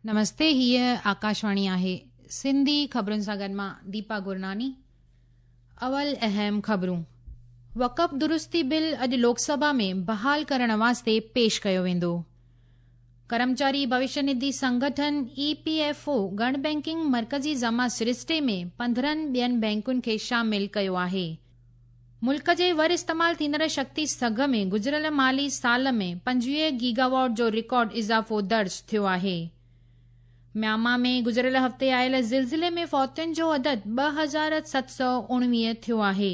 نمستي هيء آڪاشواڻي آهي سنڌي خبرن سان گڏ مان ديپا گرناني اول اهم خبرون وقف درستي بل اڄ لوڪ سڀا ۾ بحال ڪرڻ واسطي پيش ڪيو ويندو ڪرمچاري ڀوشيه نڌي سنگٺن اي پي ايف او گڻ بينڪنگ مرڪزي جمع سرشتي ۾ 15 ٻين بينڪن کي شامل ڪيو آهي ملڪ جي ور استعمال ٿيندڙ شڪتي سگهه ۾ گذريل مالي سال ۾ 25 گيگاواٽ جو رڪارڊ اضافو درج ٿيو آهي. ميانما ۾ گذريل هفتي آيل زلزلي ۾ فوتين جو عدد 2719 ٿيو آهي.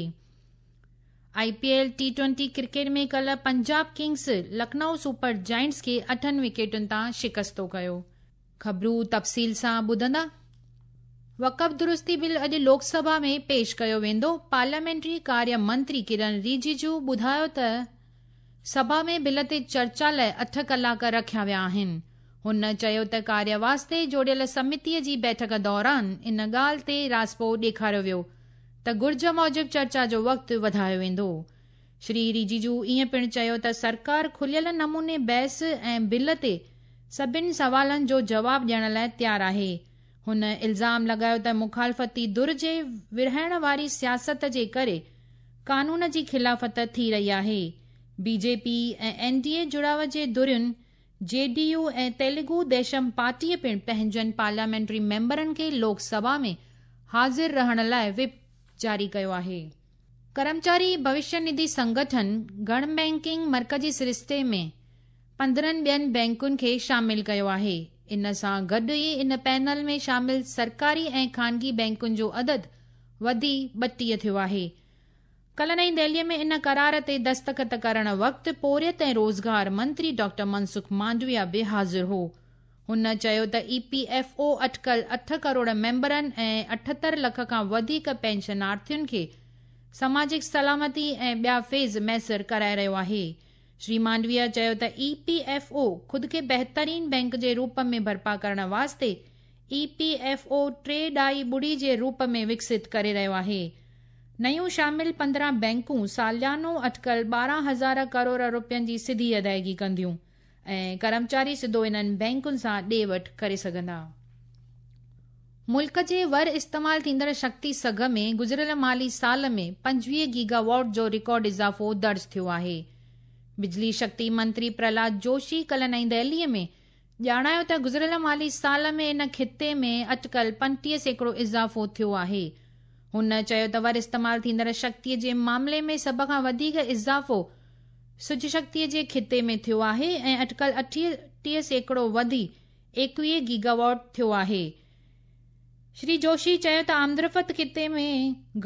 I P L T twenty cricket ۾ ڪلهه Punjab kings Lucknow super giants کي 8 وڪيٽن تان شڪستو ڪيو. خبرون تفصيل سان ٻڌندا. وقف درستي بل اڄ لوڪ سڀا ۾ پيش ڪيو ويندو. پارليامينٽري ڪاريه منتري ڪرن رجيجو ٻڌايو ته سڀا ۾ بل تي چرچا لاءِ 8 ڪلاڪ رکيا ويا آهن. هن چيو ته ڪاريه واسطي جوڙيل سمتيءَ جي بيٺڪ دوران ان ڳالهه تي راضپو ڏيکاريو ويو ته گهرج موجب چرچا جو وقت وڌايو ويندو. شري رجيجو ائين پڻ چيو ته سرڪار کليل نموني بحث ۽ بل تي سڀني سوالن جو جواب ڏيڻ لاءِ تيار آهي. هن الزام لڳايو ته مخالفتي ڌر جي ورهائڻ واري سياست جي ڪري قانون جي خلافت ٿي رهي آهي. بي جي پي ۽ اين ڊي اي جڙاءُ جي ڌرين جي ڊي يو ۽ تيلگو ديشم پارٽيءَ پڻ پنهنجن پارليامينٽري ميمبرن کي لوڪ سڀا ۾ حاضر رهڻ لاءِ وپ جاري ڪيو آهي. ڪرمچاري ڀوشيه نڌي سنگٺن گڻ بينڪنگ مرڪزي سرشتي ۾ 15 ٻين بينڪن کي شامل ڪيو آهي. ان سان گڏ ئي ان پينل ۾ شامل سرڪاري ۽ خانگي بينڪن جو عدد وڌي 32 ٿيو آهي. ڪلهه نئين دهليءَ ۾ ان قرار تي دستخط ڪرڻ وقت پورهيت ۽ روزگار منتري ڊاڪٽر منسک مانڊويا به حاضر هو. هن چيو ته اي پي ايف او اٽڪل 8 ڪروڙ ميمبرن ۽ 78 لک کان وڌيڪ پينشنارٿين کي سماجڪ سلامتي ۽ ٻيا فيض ميسر ڪرائي رهيو آهي. شري مانڊويا چيو ته اي پي ايف او خود کي بهترين بينڪ جي روپ ۾ برپا ڪرڻ واسطي اي پي ايف او 3.2 جي روپ ۾ وڪست ڪري رهيو آهي. نيون شامل 15 بينڪون ساليانو اٽڪل 12,000 ڪروڙ رپين جي سڌي ادائگي ڪنديون ۽ ڪرمچاري سڌو انهن بينڪن سان ڏي وٺ ڪري سگهندا. ملڪ جي ور استعمال ٿيندڙ شڪتي سگهه ۾ گذريل مالي سال ۾ 25 گيگاواٽ جو رڪارڊ اضافو درج ٿيو آهي. بجلي شڪتي منتري پرهلاد جوشي ڪلهه نئين دهليءَ ۾ ڄاڻايو ته گذريل مالي سال ۾ ان خطي ۾ اٽڪل 35% اضافو ٿيو آهي. هن چيو ته ور استعمال ٿيندڙ شڪتيءَ جي معاملي ۾ سڀ کان وڌيڪ اضافو سج شڪتيءَ جي خطي ۾ ٿيو آهي ۽ اٽڪل 38% وڌي 21 گيگاواٽ ٿيو آهي. شري جوشي چيو ته آمدرفت خطي ۾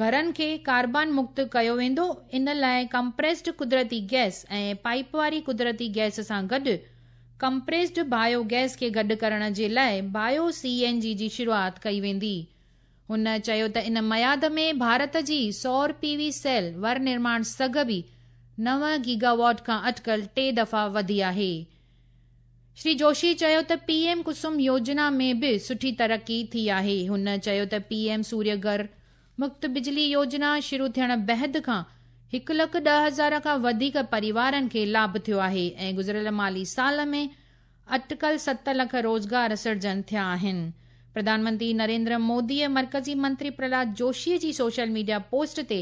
گهرن کي ڪاربان مڪت ڪيو ويندو. ان لاءِ ڪمپريسڊ قدرتي گئس ۽ پائپ واري قدرتي گئس سان گڏ ڪمپريسڊ بايو گئس کي گڏ ڪرڻ جي لاءِ بايو سي اين جي جي شروعات ڪئي ويندي. هن چيو ته ان ميعاد ۾ ڀارت جي سور پي وي سيل ور نرماڻ سگهه به 9 گيگاواٽ کان اٽڪل 3 دفعا وڌي آهي. شري جوشي چيو ته پي ايم ڪسم يوجنا ۾ به سٺي ترقي ٿي آهي. هن چيو ته پي ايم سوريه گهر مفت بجلي يوجنا شروع ٿيڻ بعد کان 1,10,000 کان وڌيڪ پريوارن کي لاڀ ٿيو آهي ۽ گذريل مالي سال ۾ اٽڪل 7 لک روزگار سرجن ٿيا آهن. پرڌان منتري نريندر موديءَ مرڪزي منتري پرهلاد جوشيءَ جي سوشل ميڊيا پوسٽ تي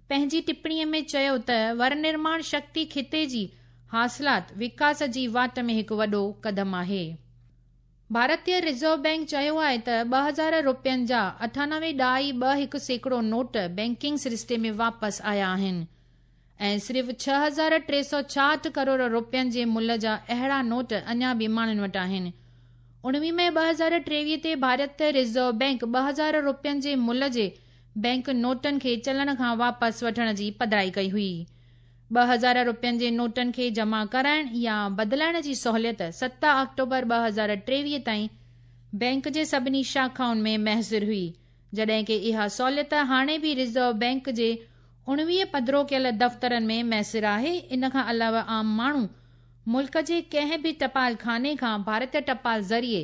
پنهنجي ٽپڻيءَ ۾ چيو ته ور نرماڻ شڪتي خطي جي حاصلات وڪاس جي واٽ ۾ هڪ وڏو قدم آهي. ڀارتيه رزرو بينڪ چيو آهي ته 2000 رپين جا 98.21% نوٽ بينڪنگ سرشتي ۾ واپس آيا آهن ۽ صرف 6366 ڪروڙ رپين جي ملهه جا اهڙا نوٽ اڃا به ماڻهن وٽ آهن. 19 مئي 2023 تي ڀارتيه رزرو بينڪ 2000 رپين جي ملهه جي بينڪ نوٽن کي چلڻ کان واپس وٺڻ جي پڌرائي ڪئي هئي. 2000 رپين جي نوٽن کي جمع ڪرائڻ يا بدلائڻ جي سهوليت 7 آڪٽوبر 2023 تائين بينڪ جي سڀني شاخائن ۾ ميسر هئي، جڏهن ڪه اها سهوليت هاڻي به رزرو بينڪ جي 19 پڌرو ڪيل دفترن ۾ ميسر آهي. ان کان علاوه عام ماڻهو ملڪ جي ڪنهن به ٽپال خاني کان ڀارتيه ٽپال ذريعي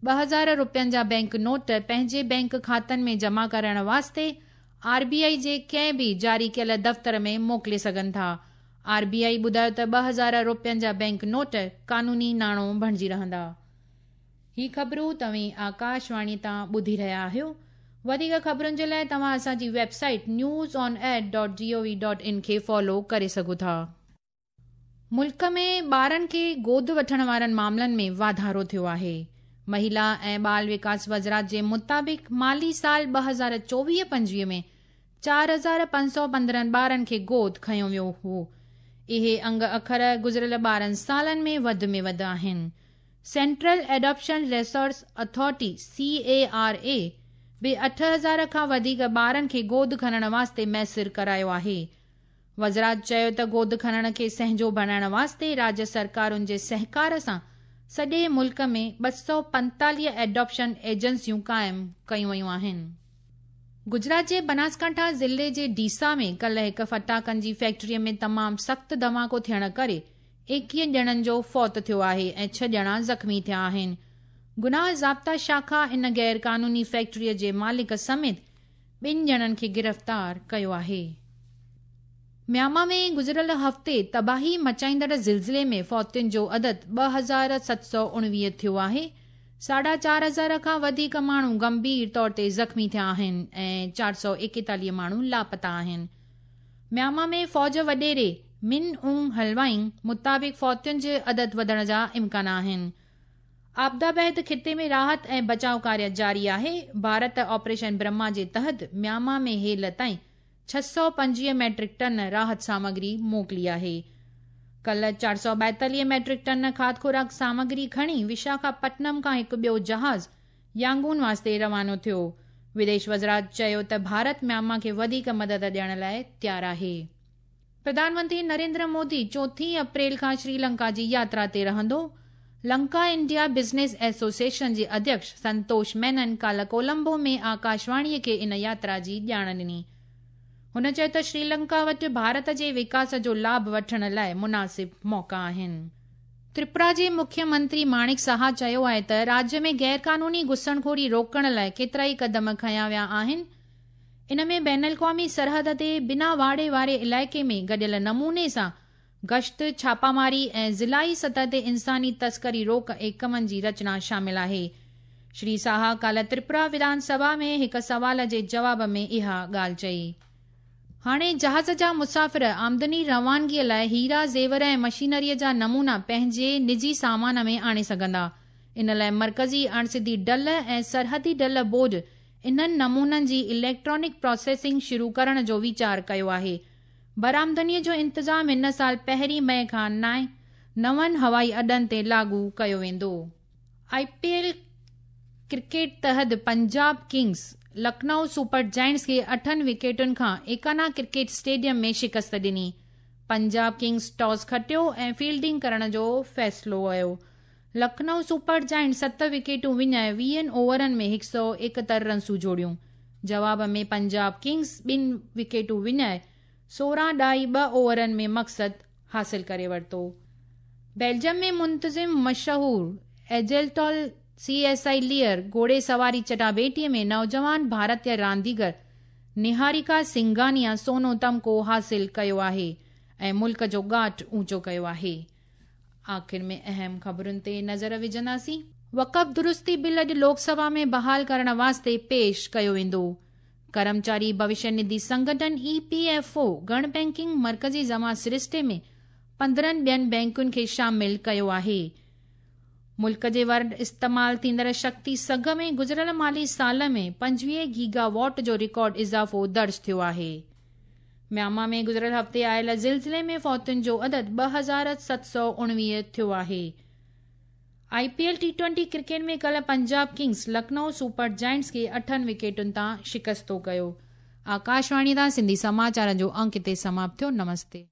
2000 رپين جا بينڪ نوٽ پنهنجي بينڪ کاتن ۾ جمع ڪرائڻ واسطي آر بي آئي جي ڪنهن به جاري ڪيل دفتر ۾ موڪلي سگهن ٿا. آر بي آئي ٻڌايو ته 2000 رپين جا بينڪ نوٽ قانوني ناڻو بڻجي رهندا. هي خبرون توهين آڪاشواڻي تان ٻڌي رهيا آهيو. وڌيڪ خبرن جي لاء توهان اسان جي website news on air dot G O V dot in کي فالو ڪري سگهو ٿا. ملڪ ۾ ٻارن کي گود وٺڻ وارن معاملن ۾ واڌارو ٿيو آهي. مهيلا ۽ ٻال وڪاس وزارت جي مطابق مالي سال 2024-25 ۾ 4515 ٻارن کي گود کنيو ويو هو. اهي انگ اکر گذريل 12 سالن ۾ وڌ ۾ وڌ آهن. Central adoption resource authority, C A R A, به 8000 کان وڌيڪ ٻارن کي گود کڻڻ واسطي ميسر ڪرايو آهي. وزارت چيو ته گود کڻڻ کي سهنجو بڻائڻ واسطي راجيه سرڪارن جي سهڪار سان سڄي ملڪ ۾ 245 ايڊاپشن ايجنسيون قائم ڪيون ويون آهن. گجرات جي بناسڪانٺا ضلعي جي ڊيسا ۾ ڪلهه هڪ ڦٽاڪن جي فيڪٽري ۾ تمام سخت ڌماڪو ٿيڻ ڪري 21 ڄڻن جو فوت ٿيو آهي ۽ ڇهه ڄڻا زخمي ٿيا آهن. گناهه ضابطا شاخا ان غير قانوني فيڪٽري جي مالڪ سميت ٻن ڄڻن کي گرفتار ڪيو آهي. ميانما ۾ گذريل هفتي تباهي مچائيندڙ زلزلي ۾ فوتين جو عدد 2719 ٿيو آهي، ساڍا چار هزار کان وڌيڪ ماڻهو گنڀير طور تي زخمي ٿيا آهن ۽ 441 ماڻهو لاپتا آهن. ميانما ۾ فوج وڏيري من اونگ هلوائنگ مطابق فوتين جي عدد وڌڻ جا امڪان آهن. آپدا بعد خطي ۾ راحت ۽ بچاء ڪاريه جاري آهي. ڀارت آپريشن برهما جي تحت ميانما ۾ هيل تائين 625 ميٽرڪ ٽن راحت سامگري موڪلي آهي. ڪلهه 442 ميٽرڪ ٽن کاڌ خوراڪ سامگري کڻي وشاکا پٽنم کان هڪ ٻيو جهاز يانگون واسطي روانو ٿيو. وديش وزارت چيو ته ڀارت ميانما کي وڌيڪ مدد ڏيڻ لاء تيار آهي. پرڌان منتري نريندر مودي چوٿين اپريل کان شري لنڪا جي ياترا تي رهندو. لنڪا انڊيا بزنس ايسوسيئيشن جي اڌيڪش سنتوش مينن ڪالهه ڪولمبو ۾ آڪاشواڻي کي ان ياترا جي ڄاڻ ڏني. هن چيو ته شري لنڪا وٽ ڀارت جي وڪاس جو لاڀ وٺڻ لاء مناسب موقعا آهن. تريپورا جي مکيه منتري ماڻڪ ساها چيو آهي ته راجيه ۾ غيرقانوني گهسڻخوري روڪڻ لاء ڪيترائي قدم کنيا ويا آهن. ان ۾ بين الاقوامي سرحد تي بنا واڙي واري علائقي ۾ گڏيل نموني سان گشت، ڇاپاماري ۽ ضلعي سطح تي انساني تسڪري روڪ ايڪمن جي رچنا شامل آهي. شري ساها ڪالهه تريپورا وڌان سڀا ۾ هڪ سوال جي جواب ۾ اها ڳالهه چئي. هاڻي جهاز جا مسافر آمدني روانگي لاء هيرا، زيور ۽ مشينري جا نمونا پنهنجي نجي سامان ۾ آڻي سگهندا. ان لاء مرڪزي اڻسڌي ڍل ۽ سرحدي ڍل بورڊ انهن نمونن جي اليڪٽرانڪ پراسيسنگ شروع ڪرڻ جو ويچار ڪيو آهي. برآمدني جو انتظام هن سال پهرين مئي کان نون هوائي اڏن تي لاڳو ڪيو ويندو. آء پي ايل ڪرڪيٽ تحت Punjab Kings Lucknow Super Giants کي اٺن وڪيٽن کان ايڪانا ڪرڪيٽ اسٽيڊيم ۾ شڪست ڏني. پنجاب ڪنگز ٽاس کٽيو ۽ فيلڊنگ ڪرڻ جو فيصلو ڪيو. لکنؤ سپر جائنٽس ست وڪيٽون وڃائي ويهن اوورن ۾ 171 رنسون جوڙيون. جواب ۾ پنجاب ڪنگز ٻن وڪيٽون وڃائي 16.2 اوورن ۾ مقصد حاصل ڪري ورتو. بيلجم ۾ منتظم مشهور ايجلٽال سي ايس I layer گهوڙي سواري چٽاڀيٽي ۾ نوجوان ڀارتي رانديگر نهاريڪا سنگهانيا سونو تمغو حاصل ڪيو آهي ۽ ملڪ جو ڳاٽ اوچو ڪيو آهي. آخر ۾ اهم خبرن تي نظر وجهنداسين. وقف درستي بل اڄ لوڪ سڀا ۾ بحال ڪرڻ واسطي پيش ڪيو ويندو. ڪرمچاري ڀوشيه نڌي سنگٺن، اي پي ايف او، گهڻ بئنڪنگ مرڪزي جمع سرشتي ۾ 15 ٻين بئنڪن کي شامل ڪيو آهي. ملڪ جي ور استعمال ٿيندڙ شڪتي سگهه ۾ گذريل مالي سال ۾ 25 گيگا واٽ جو رڪارڊ اضافو درج ٿيو آهي. ميانما ۾ گذريل هفتي آيل زلزلي ۾ فوتين جو عدد 2719 ٿيو آهي. I P L T twenty cricket ۾ ڪلهه Punjab kings Lucknow super giants کي اٺن وڪيٽن تان شڪستو ڪيو. آڪاشواڻي تان سنڌي سماچارن جو انڪ هتي سماپت ٿيو. نمستي.